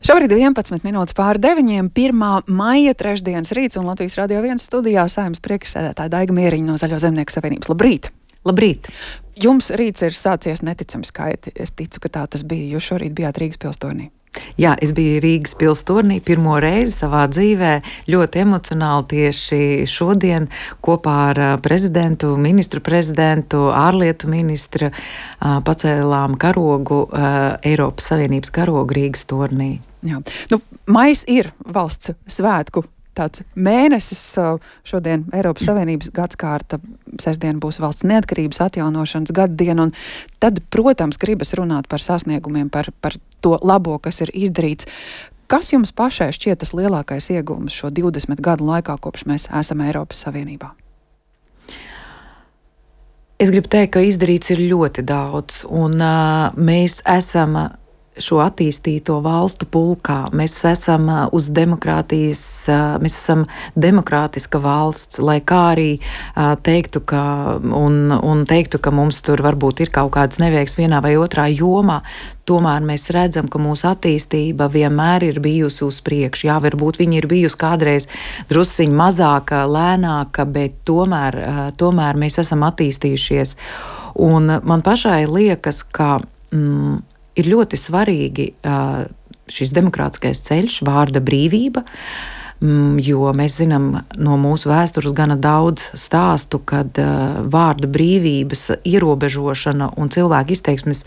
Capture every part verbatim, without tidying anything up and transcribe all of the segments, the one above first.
Šobrīd ir vienpadsmit minūtes pāri deviņiem, pirmā maija trešdienas rīts, un Latvijas Radio viens studijā Saeimas priekšsēdētāja Daiga Mieriņa no Zaļo zemnieku savienības. Labrīt! Labrīt! Jums rīts ir sācies neticami skaiti. Es ticu, ka tā tas bija. Jūs šorīt bijāt Rīgas pilstornī. Jā, es biju Rīgas pilstornī pirmo reizi savā dzīvē, ļoti emocionāli tieši šodien kopā ar prezidentu, ministru prezidentu, ārlietu ministru pacēlām karogu, Eiropas Savienības karogu Rīgas tornī. Jā. Nu, maijs ir valsts svētku tāds mēnesis. Šodien Eiropas Savienības gadskārta, sestdien būs valsts neatkarības atjaunošanas gaddiena, un tad, protams, gribas runāt par sasniegumiem, par, par to labo, kas ir izdarīts. Kas jums pašai šķiet tas lielākais iegūms šo divdesmit gadu laikā, kopš mēs esam Eiropas Savienībā? Es gribu teikt, ka izdarīts ir ļoti daudz, un uh, mēs esam šo attīstīto valstu pulkā. Mēs esam uz demokrātijas, mēs esam demokrātiska valsts, lai kā arī teiktu, ka, un, un teiktu, ka mums tur varbūt ir kaut kāds neveiks vienā vai otrā jomā, tomēr mēs redzam, ka mūsu attīstība vienmēr ir bijusi uz priekšu. Jā, varbūt viņa ir bijusi kādreiz drusciņ mazāka, lēnāka, bet tomēr, tomēr mēs esam attīstījušies. Un man pašai liekas, ka mm, ir ļoti svarīgi uh, šis demokrātiskais ceļš, vārda brīvība, mm, jo mēs zinām no mūsu vēstures gana daudz stāstu, kad uh, vārda brīvības ierobežošana un cilvēku izteiksmes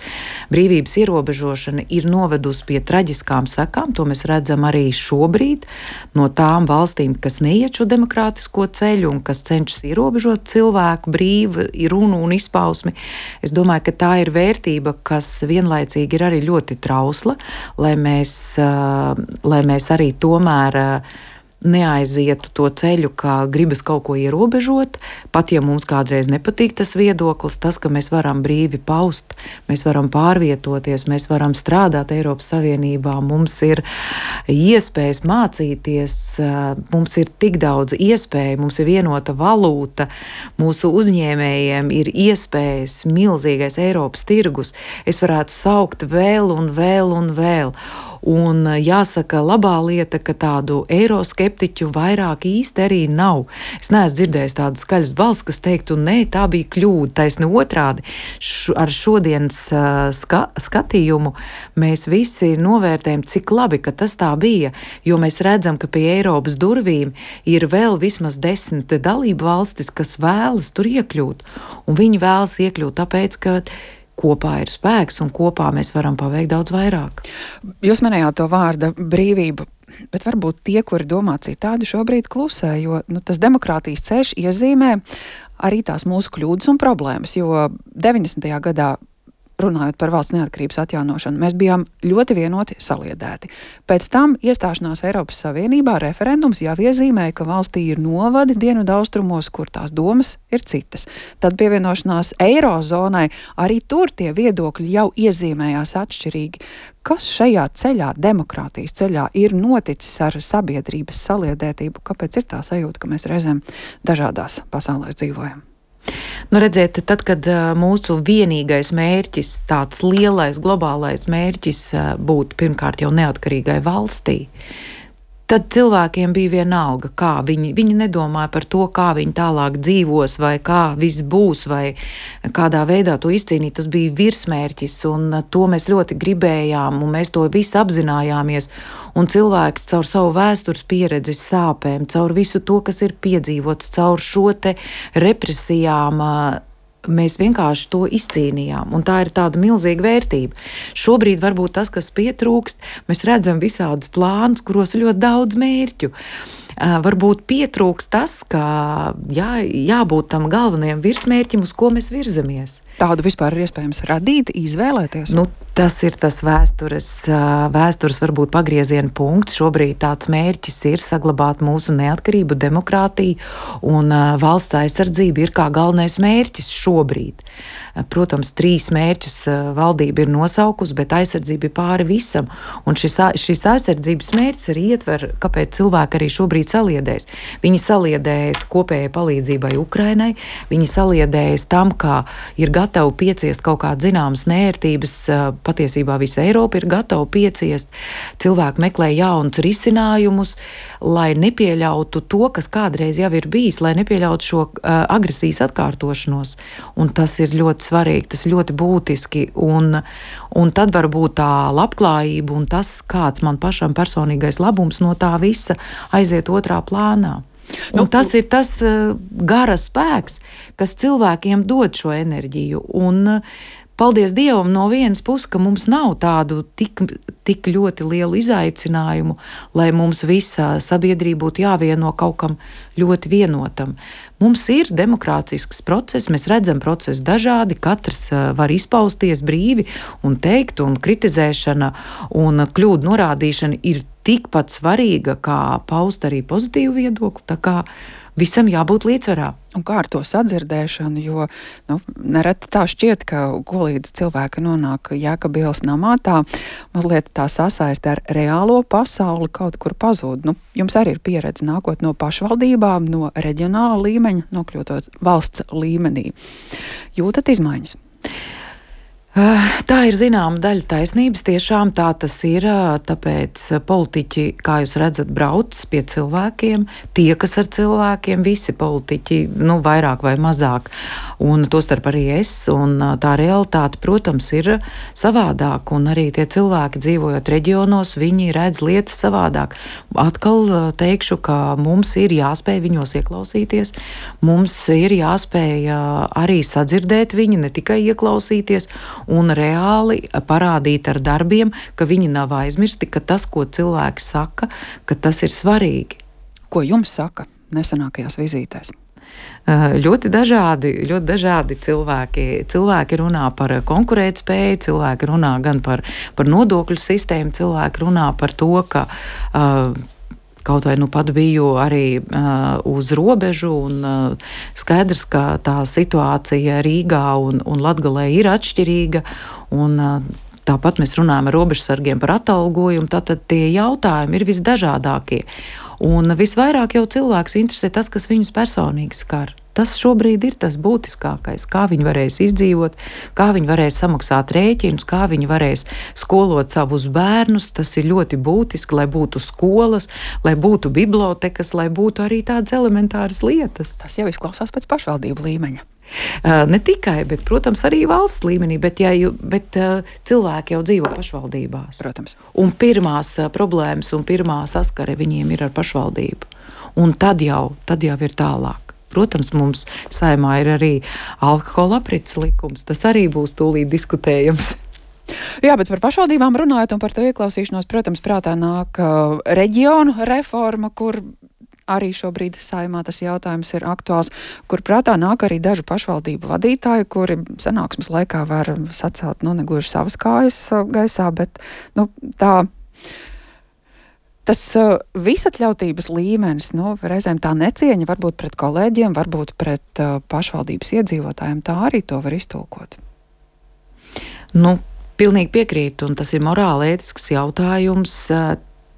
brīvības ierobežošana ir novedusi pie traģiskām sekām. To mēs redzam arī šobrīd no tām valstīm, kas neiet šo demokrātisko ceļu un kas cenšas ierobežot cilvēku brīvu runu un izpausmi. Es domāju, ka tā ir vērtība, kas vienlaicīgi ir arī ļoti trausla, lai mēs, uh, lai mēs arī tomēr uh, neaizietu to ceļu, kā gribas kaut ko ierobežot, pat ja mums kādreiz nepatīk tas viedoklis, tas, ka mēs varam brīvi paust, mēs varam pārvietoties, mēs varam strādāt Eiropas Savienībā, mums ir iespējas mācīties, mums ir tik daudz iespēju, mums ir vienota valūta, mūsu uzņēmējiem ir iespējas, milzīgais Eiropas tirgus. Es varētu saukt vēl un vēl un vēl. Un jāsaka, labā lieta, ka tādu eiroskeptiķu vairāk īsti arī nav. Es neesmu dzirdējis tādu skaļas balss, kas teiktu, nē, tā bija kļūda, taisni otrādi. Š, ar šodienas uh, ska, skatījumu mēs visi novērtējam, cik labi, ka tas tā bija, jo mēs redzam, ka pie Eiropas durvīm ir vēl vismaz desmit dalību valstis, kas vēlas tur iekļūt. Un viņi vēlas iekļūt tāpēc, ka kopā ir spēks un kopā mēs varam paveikt daudz vairāk. Jūs minējāt to vārda brīvību, bet varbūt tie, kuri domā citādi, šobrīd klusē, jo nu, tas demokrātijas ceļš iezīmē arī tās mūsu kļūdas un problēmas, jo deviņdesmitajā gadā, runājot par valsts neatkarības atjaunošanu, mēs bijām ļoti vienoti saliedēti. Pēc tam iestāšanās Eiropas Savienībā referendums jau iezīmēja, ka valstī ir novadi dienvidu austrumos, kur tās domas ir citas. Tad pievienošanās Eirozonai, arī tur tie viedokļi jau iezīmējās atšķirīgi. Kas šajā ceļā, demokrātijas ceļā, ir noticis ar sabiedrības saliedētību? Kāpēc ir tā sajūta, ka mēs reizēm dažādās pasaulēs dzīvojam? Nu, redziet, tad, kad uh, mūsu vienīgais mērķis, tāds lielais globālais mērķis uh, būtu pirmkārt jau neatkarīgai valstī, tad cilvēkiem bija vienalga, kā viņi, viņi nedomāja par to, kā viņi tālāk dzīvos, vai kā viss būs, vai kādā veidā to izcīnīt. Tas bija virsmērķis, un to mēs ļoti gribējām, un mēs to visi apzinājāmies. Un cilvēks caur savu vēstures pieredzi, sāpēm, caur visu to, kas ir piedzīvots, caur šo te represijām, mēs vienkārši to izcīnījām, un tā ir tāda milzīga vērtība. Šobrīd varbūt tas, kas pietrūkst, mēs redzam visādus plānus, kuros ir ļoti daudz mērķu. Uh, varbūt pietrūkst tas, ka jā, jābūt tam galvenajam virsmērķim, uz ko mēs virzamies. Tādu vispār ir iespējams radīt, izvēlēties? Nu, tas ir tas vēstures, uh, vēstures varbūt pagrieziena punkts. Šobrīd tāds mērķis ir saglabāt mūsu neatkarību, demokrātiju, un uh, valsts aizsardzība ir kā galvenais mērķis šobrīd. Uh, protams, trīs mērķus uh, valdība ir nosaukusi, bet aizsardzība ir pāri visam. Un šis, šis aizsardzības mērķis arī ietver, kāpēc cilvēki arī šobrīd šobrīd saliedējas? Viņi saliedējas kopējai palīdzībai Ukrainai, viņi saliedējas tam, ka ir gatavi pieciest kaut kādas zināmas nērtības, patiesībā visa Eiropa ir gatava pieciest, cilvēki meklē jaunus risinājumus, lai nepieļautu to, kas kādreiz jau ir bijis, lai nepieļautu šo uh, agresijas atkārtošanos. Un tas ir ļoti svarīgi, tas ir ļoti būtiski. Un, un tad var būt tā labklājība un tas, kāds man pašam personīgais labums no tā visa aiziet otrā plānā. Un nu, tas ir tas uh, gara spēks, kas cilvēkiem dod šo enerģiju. Un, uh, Paldies Dievam no vienas puses, ka mums nav tādu tik, tik ļoti lielu izaicinājumu, lai mums visa sabiedrība būtu jāvieno kaut kam ļoti vienotam. Mums ir demokrātisks process, mēs redzam procesu dažādi, katrs var izpausties brīvi un teikt, un kritizēšana un kļūdu norādīšana ir tikpat svarīga, kā paust arī pozitīvu viedokli, tā kā visam jābūt līdzsvarā. Un kā ar to sadzirdēšanu, jo nu, nereti tā šķiet, ka ko līdz cilvēki nonāk Jēkabielas namā, tā mazliet tā sasaiste ar reālo pasauli kaut kur pazūd. Nu, jums arī ir pieredze nākot no pašvaldībām, no reģionāla līmeņa, nokļūtot valsts līmenī. Jūtat izmaiņas? Tā ir zināma daļa taisnības, tiešām tā tas ir, tāpēc politiķi, kā jūs redzat, brauc pie cilvēkiem, tiekas ar cilvēkiem, visi politiķi, nu, vairāk vai mazāk, un tostarp arī es, un tā realitāte, protams, ir savādāk, un arī tie cilvēki dzīvojot reģionos, viņi redz lietas savādāk. Atkal teikšu, ka mums ir jāspēj viņos ieklausīties, mums ir jāspēj arī sadzirdēt viņi, ne tikai ieklausīties, un reāli parādīt ar darbiem, ka viņi nav aizmirsti, ka tas, ko cilvēki saka, ka tas ir svarīgi. Ko jums saka nesenākajās vizītēs? Ļoti dažādi, ļoti dažādi cilvēki. Cilvēki runā par konkurētspēju, cilvēki runā gan par, par nodokļu sistēmu, cilvēki runā par to, ka uh, kaut vai nu pat biju arī uh, uz robežu un uh, skaidrs, ka tā situācija Rīgā un, un Latgalē ir atšķirīga un uh, tāpat mēs runājam ar robežsargiem par atalgojumu, tātad tie jautājumi ir visdažādākie. Un visvairāk jau cilvēks interesē tas, kas viņus personīgi skar. Tas šobrīd ir tas būtiskākais, kā viņi varēs izdzīvot, kā viņi varēs samaksāt rēķinus, kā viņi varēs skolot savus bērnus. Tas ir ļoti būtiski, lai būtu skolas, lai būtu bibliotekas, lai būtu arī tādas elementāras lietas. Tas jau izklausās pēc pašvaldību līmeņa. Uh, ne tikai, bet, protams, arī valsts līmenī, bet, ja, bet uh, cilvēki jau dzīvo pašvaldībās. Protams. Un pirmās uh, problēmas un pirmā saskare viņiem ir ar pašvaldību. Un tad jau, tad jau ir tālāk. Protams, mums Saeimā ir arī alkohola aprits likums. Tas arī būs tūlīt diskutējams. Jā, bet par pašvaldībām runājot un par to ieklausīšanos, protams, prātā nāk uh, reģionu reforma, kur arī šobrīd Saeimā tas jautājums ir aktuāls, kur prātā nāk arī dažu pašvaldību vadītāji, kuri sanāksmes laikā var sacelt, nu, negluži savas kājas gaisā, bet, nu, tā... Tas uh, visatļautības līmenis, nu, reizēm tā necieņa varbūt pret kolēģiem, varbūt pret uh, pašvaldības iedzīvotājiem, tā arī to var iztulkot. Nu, pilnīgi piekrītu, un tas ir morāli ētisks jautājums.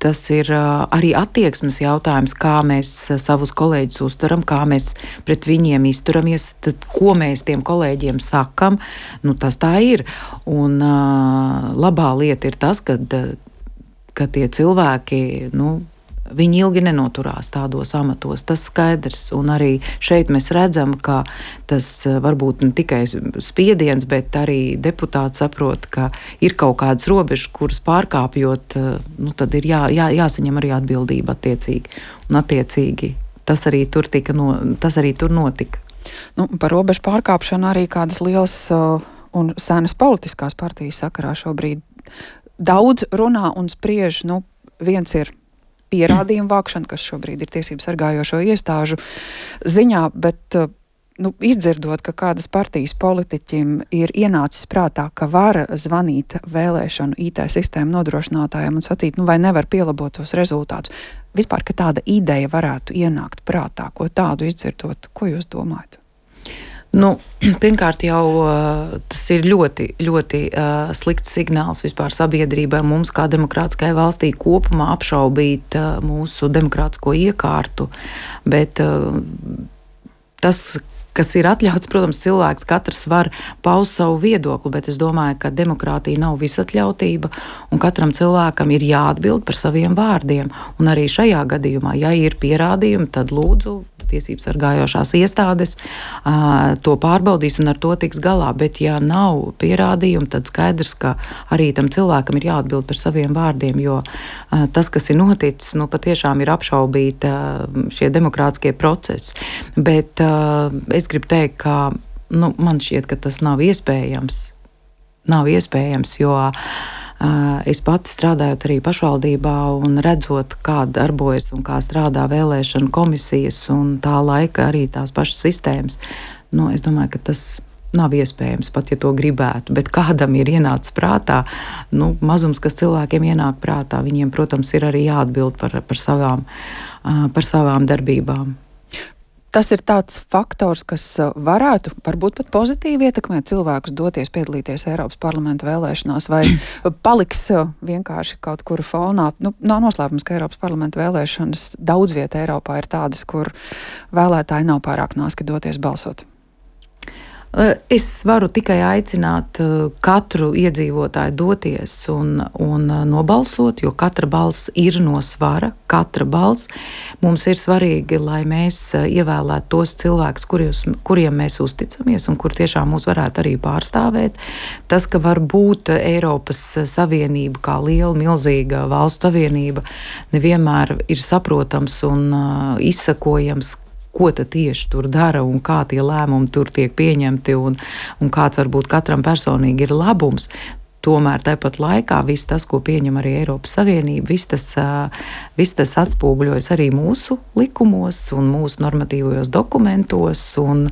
Tas ir uh, arī attieksmes jautājums, kā mēs uh, savus kolēģus uztveram, kā mēs pret viņiem izturamies, tad, ko mēs tiem kolēģiem sakam. Nu, tas tā ir. Un uh, labā lieta ir tas, kad uh, ka tie cilvēki, nu, viņi ilgi nenoturās tādos amatos, tas skaidrs, un arī šeit mēs redzam, ka tas varbūt ne tikai spiediens, bet arī deputāti saprot, ka ir kaut kādas robežas, kuras pārkāpjot, nu, tad ir jā, jā, jāsaņem arī atbildība attiecīgi, un attiecīgi tas arī tur, tika no, tas arī tur notika. Nu, par robežu pārkāpšanu arī kādas lielas uh, un senas politiskās partijas sakarā šobrīd daudz runā un spriež, nu, viens ir pierādījumu vākšana, kas šobrīd ir tiesību sargājošo iestāžu ziņā, bet, nu, izdzirdot, ka kādas partijas politiķim ir ienācis prātā, ka var zvanīt vēlēšanu I T sistēmu nodrošinātājiem un sacīt, nu, vai nevar pielabot tos rezultātus. Vispār, ka tāda ideja varētu ienākt prātā, ko tādu izdzirdot, ko jūs domājat? Nu, pirmkārt, jau uh, tas ir ļoti, ļoti uh, slikts signāls vispār sabiedrībai, mums kā demokrātiskai valstī kopumā apšaubīt uh, mūsu demokrātisko iekārtu, bet uh, tas, kas ir atļauts, protams, cilvēks katrs var paust savu viedokli, bet es domāju, ka demokrātija nav visatļautība, un katram cilvēkam ir jāatbild par saviem vārdiem. Un arī šajā gadījumā, ja ir pierādījumi, tad lūdzu tiesības sargājošās iestādes uh, to pārbaudīs un ar to tiks galā. Bet, ja nav pierādījumi, tad skaidrs, ka arī tam cilvēkam ir jāatbild par saviem vārdiem, jo uh, tas, kas ir noticis, nu, patiešām ir apšaubīt uh, šie demokrātiskie procesi. Bet uh, es gribu teikt, ka nu, man šķiet, ka tas nav iespējams. Nav iespējams, jo es pati strādājot arī pašvaldībā un redzot, kā darbojas un kā strādā vēlēšana komisijas un tā laika arī tās pašas sistēmas, nu, es domāju, ka tas nav iespējams, pat ja to gribētu. Bet kādam ir ienācis prātā, nu, mazums, kas cilvēkiem ienāk prātā, viņiem, protams, ir arī jāatbild par, par, savām, par savām darbībām. Tas ir tāds faktors, kas varētu varbūt pat pozitīvi ietekmēt cilvēkus doties piedalīties Eiropas parlamenta vēlēšanās, vai paliks vienkārši kaut kur fonā. Nu, nav noslēpums, ka Eiropas parlamenta vēlēšanas daudz vieta Eiropā ir tādas, kur vēlētāji nav pārāk nāski doties balsot. Es varu tikai aicināt katru iedzīvotāju doties un, un nobalsot, jo katra balss ir no svara, katra balss. Mums ir svarīgi, lai mēs ievēlētu tos cilvēkus, kurjus, kuriem mēs uzticamies un kur tiešām mūs varētu arī pārstāvēt. Tas, ka var būt Eiropas Savienība kā liela, milzīga valstu savienība, nevienmēr ir saprotams un uh, izsakojams, ko tad tieši tur dara un kā tie lēmumi tur tiek pieņemti un, un kāds varbūt katram personīgi ir labums. Tomēr tāpat laikā viss tas, ko pieņem arī Eiropas Savienība, viss tas, viss tas atspūgļojas arī mūsu likumos un mūsu normatīvajos dokumentos un,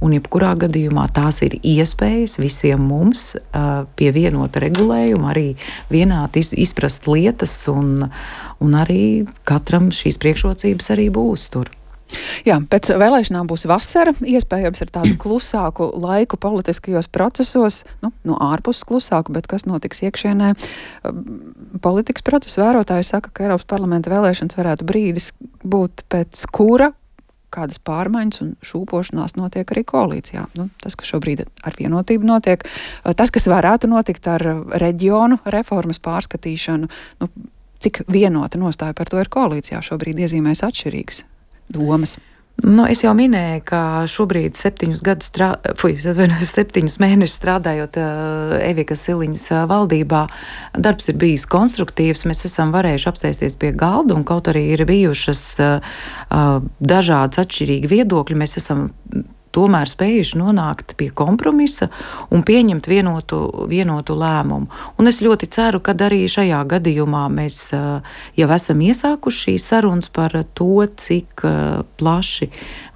un jebkurā gadījumā tās ir iespējas visiem mums pie vienota regulējuma arī vienādi izprast lietas un, un arī katram šīs priekšrocības arī būs tur. Jā, pēc vēlēšanām būs vasara, iespējams ar tādu klusāku laiku politiskajos procesos, nu, no ārpuses klusāku, bet kas notiks iekšienē. Politikas procesu vērotāji saka, ka Eiropas parlamenta vēlēšanas varētu brīdis būt pēc kura kādas pārmaiņas un šūpošanās notiek arī koalīcijā. Nu, tas, kas šobrīd ar vienotību notiek, tas, kas varētu notikt ar reģionu reformas pārskatīšanu, nu, cik vienota nostāja par to ir koalīcijā, šobrīd iezīmēs atšķirīgas domas. Nu, es jau minēju, ka šobrīd septiņus, gadus strā... Fuj, septiņus mēnešus strādājot uh, Evikas Siliņas uh, valdībā, darbs ir bijis konstruktīvs, mēs esam varējuši apsēsties pie galda un kaut arī ir bijušas uh, uh, dažādas atšķirīgi viedokļi, mēs esam tomēr spējuši nonākt pie kompromisa un pieņemt vienotu, vienotu lēmumu. Un es ļoti ceru, ka arī šajā gadījumā mēs jau esam iesākuši šīs sarunas par to, cik plaši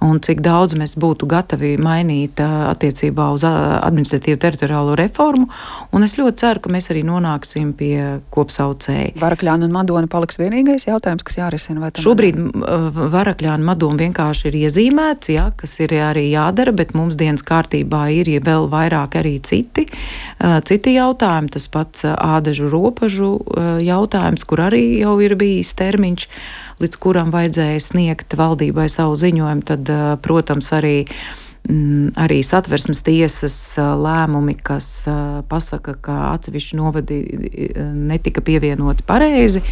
un cik daudz mēs būtu gatavi mainīt attiecībā uz administratīvu teritoriālo reformu. Un es ļoti ceru, ka mēs arī nonāksim pie kopsaucēja. Varakļāna un Madona paliks vienīgais jautājums, kas jārisina? Vai Šobrīd Varakļāna Madona vienkārši ir iezīmēts, jā, kas ir arī jā dara, bet mums dienas kārtībā ir ja vēl vairāk arī citi, citi jautājumi. Tas pats ādažu ropažu jautājums, kur arī jau ir bijis termiņš, līdz kuram vajadzēja sniegt valdībai savu ziņojumu. Tad, protams, arī, arī satversmes tiesas lēmumi, kas pasaka, ka atsevišķi novadi netika pievienoti pareizi.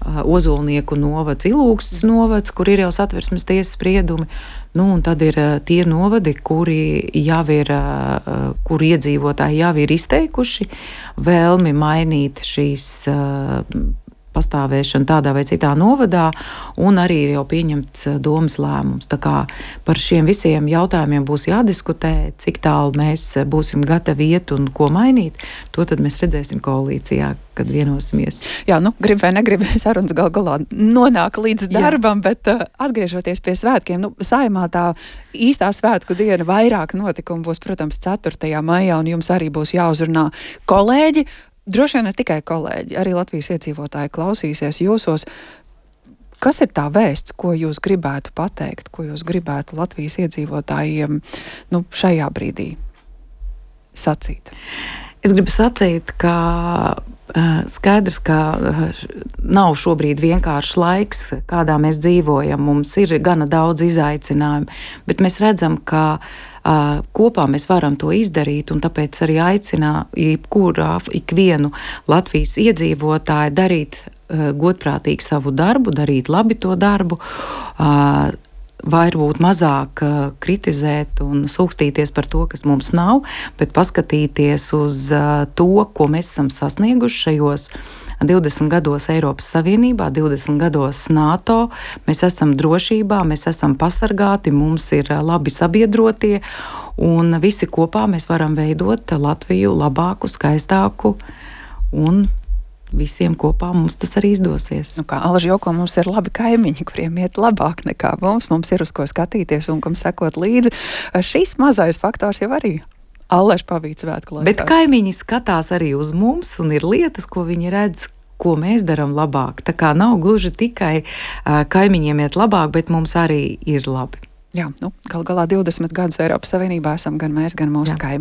Ozolnieku novads, Ilūgstas novads, kur ir jau satversmes tiesas spriedumi. Nu, un tad ir tie novadi, kuri jau ir, kur iedzīvotāji jau ir izteikuši vēlmi mainīt šīs pastāvēšanu tādā vai citā novadā, un arī ir jau pieņemts domas lēmums. Tā kā par šiem visiem jautājumiem būs jādiskutē, cik tālu mēs būsim gatavi iet un ko mainīt, to tad mēs redzēsim koalīcijā, kad vienosimies. Jā, nu, grib vai negrib, sarunas gal galā nonāk līdz darbam, Jā. bet uh, atgriežoties pie svētkiem, nu, Saeimā tā īstā svētku diena vairāk notikumu būs, protams, ceturtajā maijā, un jums arī būs jāuzrunā kolēģi. Droši vien ne tikai kolēģi, arī Latvijas iedzīvotāji klausīsies jūsos. Kas ir tā vēsts, ko jūs gribētu pateikt, ko jūs gribētu Latvijas iedzīvotājiem nu, šajā brīdī sacīt? Es gribu sacīt, ka uh, skaidrs, ka uh, nav šobrīd vienkāršs laiks, kādā mēs dzīvojam. Mums ir gana daudz izaicinājumu, bet mēs redzam, ka uh, kopā mēs varam to izdarīt, un tāpēc arī aicinā jebkurā, ikvienu Latvijas iedzīvotāju darīt uh, godprātīgi savu darbu, darīt labi to darbu, uh, varbūt mazāk uh, kritizēt un sūkstīties par to, kas mums nav, bet paskatīties uz uh, to, ko mēs esam sasnieguši šajos divdesmit gados Eiropas Savienībā, divdesmit gados NATO. Mēs esam drošībā, mēs esam pasargāti, mums ir uh, labi sabiedrotie, un visi kopā mēs varam veidot Latviju labāku, skaistāku, un visiem kopā mums tas arī izdosies. Nu, kā Alža joko, mums ir labi kaimiņi, kuriem iet labāk nekā mums. Mums ir uz ko skatīties un kam sekot līdzi. Šis mazais faktors jau arī Alža pavīd svētku laikā. Bet kaimiņi skatās arī uz mums un ir lietas, ko viņi redz, ko mēs darām labāk. Tā kā nav gluži tikai uh, kaimiņiem iet labāk, bet mums arī ir labi. Jā, nu, gal galā divdesmit gadus Eiropas Savienībā esam gan mēs, gan mūsu kaimiņi.